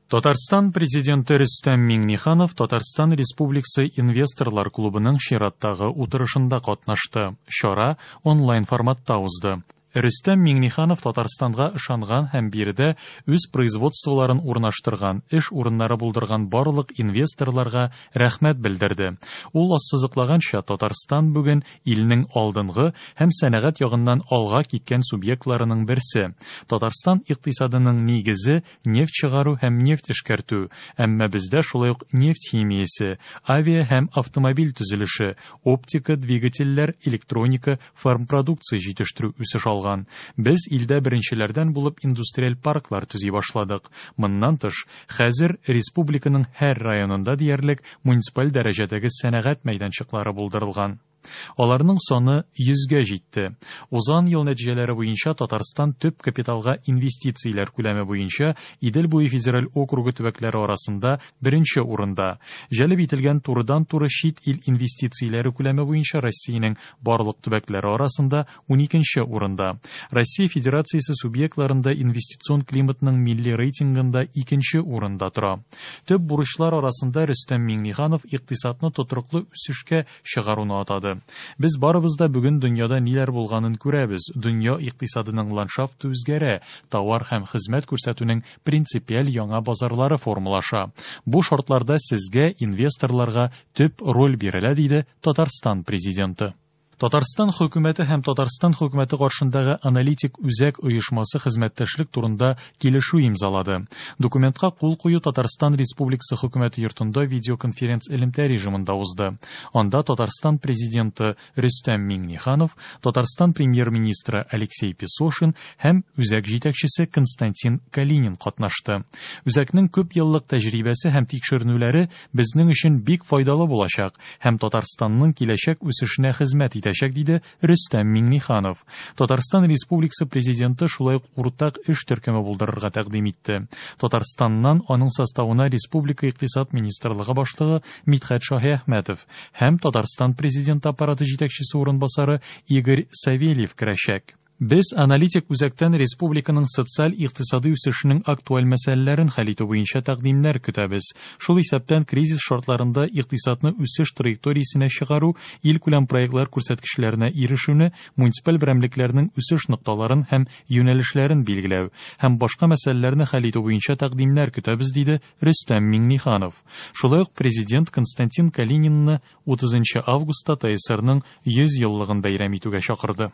Татарстан Президенты Рөстәм Миңнеханов Татарстан Республикасы Инвесторлар клубының чираттагы утырышында катнашты. Чара онлайн форматта узды. Рөстәм Миңнеханов Татарстанга ышанган һәм биредә үз производстволарын урнаштырган, эш урыннары булдырган барлык инвесторларга рәхмәт белдерде. Ул ассызыклаганча, Татарстан бүген илнең алдынгы һәм сәнәгать ягыннан алга киткән субъектларының берсе. Татарстан икътисадының нигезе нефть чыгару һәм нефть эшкәртү, әмма бездә шулай ук нефть химиясе, авиа һәм автомобиль төзелеше, оптика, двигательләр, электроника, фармпродукция җитештерү үсеш алган. Без илдә беренчеләрдән булып индустриаль парклар төзи башладык. Моннан тыш, хәзер республиканың һәр районында диярлек муниципаль дәрәҗәдәге сәнәгать мәйданчыклары булдырылган. Аларның саны 100гә җитте. Узган ел нәтиҗәләре буенча Татарстан төп капиталга инвестицияләр күләме буенча Идел буе федераль округы төбәкләре арасында беренче урында. Җәлеп ителгән турыдан-туры чит ил инвестицияләре күләме буенча Россиянең барлык төбәкләре арасында 12нче урында. Россия Федерациясе субъектларында инвестицион климатның милли рейтингында икенче урында тора. Төп бурычлар арасында Рөстәм Миңнеханов икътисадны тотрыклы үсешкә чыгаруны атады. Без барыбыз да бүген дөньяда ниләр булганын күрәбез. Дөнья икътисадының ландшафты үзгәрә, товар һәм хезмәт күрсәтүнең принципиаль яңа базарлары формалаша. Бу шартларда сезгә, инвесторларга төп роль бирелә, диде Татарстан Президенты. Татарстан Хөкүмәте һәм Татарстан Хөкүмәте каршындагы Аналитик үзәк оешмасы хезмәттәшлек турында килешү имзалады. Документка кул кую Татарстан Республикасы Хөкүмәте йортында видеоконференц-элемтә режимында узды. Анда Татарстан Президенты Рөстәм Миңнеханов, Татарстан Премьер-министры Алексей Песошин һәм үзәк җитәкчесе Константин Калинин катнашты. Үзәкнең күп еллык тәҗрибәсе һәм тикшеренүләре безнең өчен бик файдалы булачак һәм Татарстанның киләчәк үсешенә хезмәт итәчәк, диде Рөстәм Миңнеханов. Татарстан Республикасы Президенты шулай ук уртак эш төркеме булдырырга тәкъдим итте. Татарстаннан аның составына республика Икътисад министрлыгы башлыгы Мидхәт Шаһиәхмәтов һәм Татарстан Президенты аппараты җитәкчесе урынбасары Игорь Савельев керәчәк. Без аналитик үзәктән республиканың социаль-икътисадый үсешенең актуаль мәсьәләләрен хәл итү буенча тәкъдимнәр көтәбез. Шул исәптән кризис шартларында икътисадны үсеш траекториясенә чыгару, илкүләм проектлар күрсәткечләренә ирешүне, муниципаль берәмлекләрнең үсеш нокталарын һәм юнәлешләрен билгеләү һәм башка мәсьәләләрне хәл итү буенча тәкъдимнәр көтәбез, диде Рөстәм Миңнеханов. Шулай ук Президент Константин Калининны 30 нчы августта ТАССРның 100 еллыгын бәйрәм итүгә чакырды.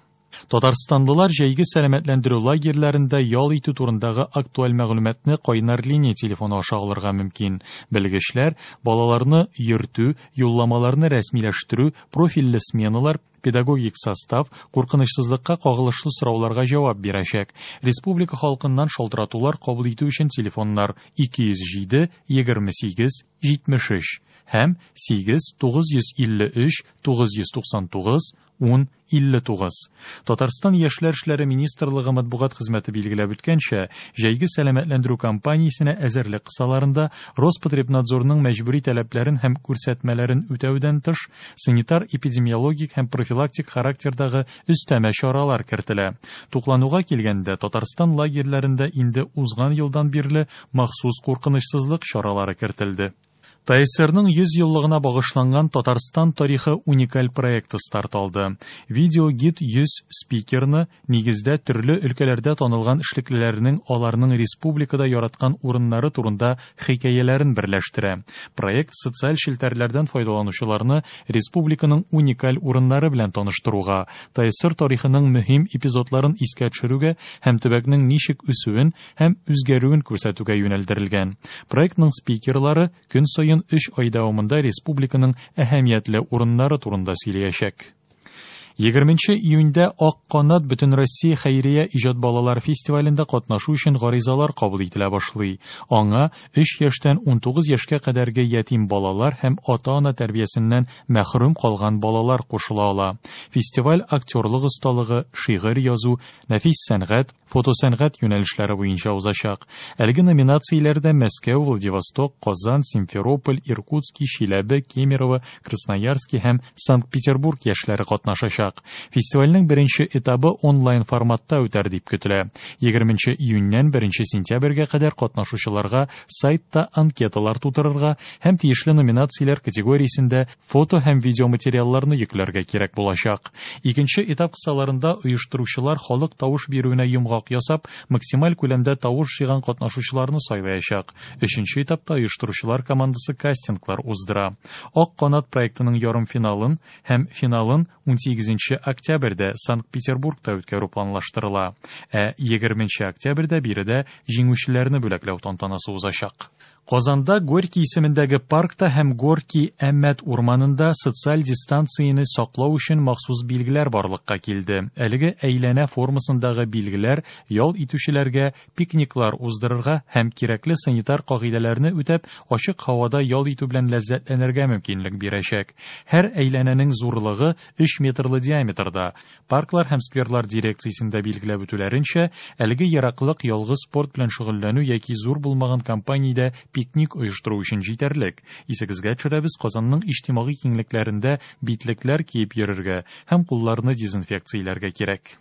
Татарстанлылар җәйге сәламәтләндерү лагерьләрендә ял итү турындагы актуаль мәгълүматны кайнар линия телефоны аша алырга мөмкин. Белгечләр балаларны йөртү, юлламаларны рәсмиләштерү, профильле сменалар, педагогик состав, куркынычсызлыкка кагылышлы сорауларга җавап бирәчәк. Республика халкыннан шалтыратулар кабул итү өчен телефоннар 207 28 73 һәм 8 953 999 10 59. Татарстан Яшьләр эшләре министрлыгы матбугат хезмәте билгеләп үткәнчә, җәйге сәламәтләндерү кампаниясенә әзерлек кысаларында Роспотребнадзорның мәҗбүри таләпләрен һәм күрсәтмәләрен үтәүдән тыш, санитар-эпидемиологик һәм профилактик характердагы өстәмә чаралар кертелә. Туклануга килгәндә, Татарстан лагерьләрендә инде узган елдан бирле махсус куркынычсызлык чаралары кертелде. ТАССРның 100 еллыгына багышланган Татарстан тарихы уникаль проекты старт алды. Видеогид 100 спикерны, нигездә төрле өлкәләрдә танылган эшлеклеләрнең аларның республикада яраткан урыннары турында хикәяләрен берләштерә. Проект социаль челтәрләрдән файдаланучыларны республиканың уникаль урыннары белән таныштыруга, ТАССР тарихының мөһим эпизодларын искә төшерүгә һәм төбәкнең ничек үсүен һәм үзгәрүен күрсәтүгә юнәлдерелгән. Проектның спикерлары көн саен өч ай дәвамында республиканың әһәмиятле урыннары турында сөйләячәк. 20 июньдә Ак канат Бөтенроссия хәйрия иҗат балалар фестивалендә катнашу өчен гаризалар кабул ителә башлый. Аңа 3 яшьтән 19 яшькә кадәрге ятим балалар һәм ата-ана тәрбиясеннән мәхрүм калган балалар кушыла ала. Фестиваль актерлык осталыгы, шигырь язу, нәфис сәнгать, фотосәнгать юнәлешләре буенча узачак. Әлеге номинацияләрдә Мәскәү, Владивосток, Казан, Симферополь, Иркутский, Чиләбе, Кемерово, Красноярский һәм Санкт-Петербург яшьләре катнашачак. узачак. Фестивальнең беренче этабы онлайн форматта үтәр дип көтелә. 20 июньнән 1 сентябрьгә кадәр катнашучыларга сайтта анкеталар тутырырга һәм тиешле номинацияләр категориясендә фото һәм видеоматериалларны йөкләргә кирәк булачак. Икенче этап кысаларында оештыручылар халык тавыш бирүенә йомгак ясап, максималь күләмдә тавыш җыйган катнашучыларны сайлаячак. Өченче этапта оештыручылар командасы кастинглар уздыра. Ак канат проектының ярымфиналын һәм финалын 18 октябрьдә Санкт-Петербургта үткәрү планлаштырыла. Ә 20 октябрьдә биредә җиңүчеләрне бүләкләү тантанасы узачак. Казанда Горький исемендәге паркта һәм Горький Әмәт урманында социаль дистанцияне саклау өчен махсус билгеләр барлыкка килде. Әлеге әйләнә формасындагы билгеләр ял итүчеләргә пикниклар уздырырга һәм кирәкле санитар кагыйдәләрне үтәп, ачык һавада ял итү белән ләззәтләнергә мөмкинлек бирәчәк. Һәр әйләнәнең зурлыгы 3 метрлы диаметрда. Парклар һәм скверлар дирекциясендә билгеләп үтүләренчә, әлеге ераклык ялгыз спорт белән шөгыльләнү яки зур булмаган компаниядә пикник оештыру өчен җитәрлек. Исегезгә төшерәбез, Казанның иҗтимагый киңлекләрендә битлекләр киеп йөрергә һәм кулларны дезинфекцияләргә кирәк.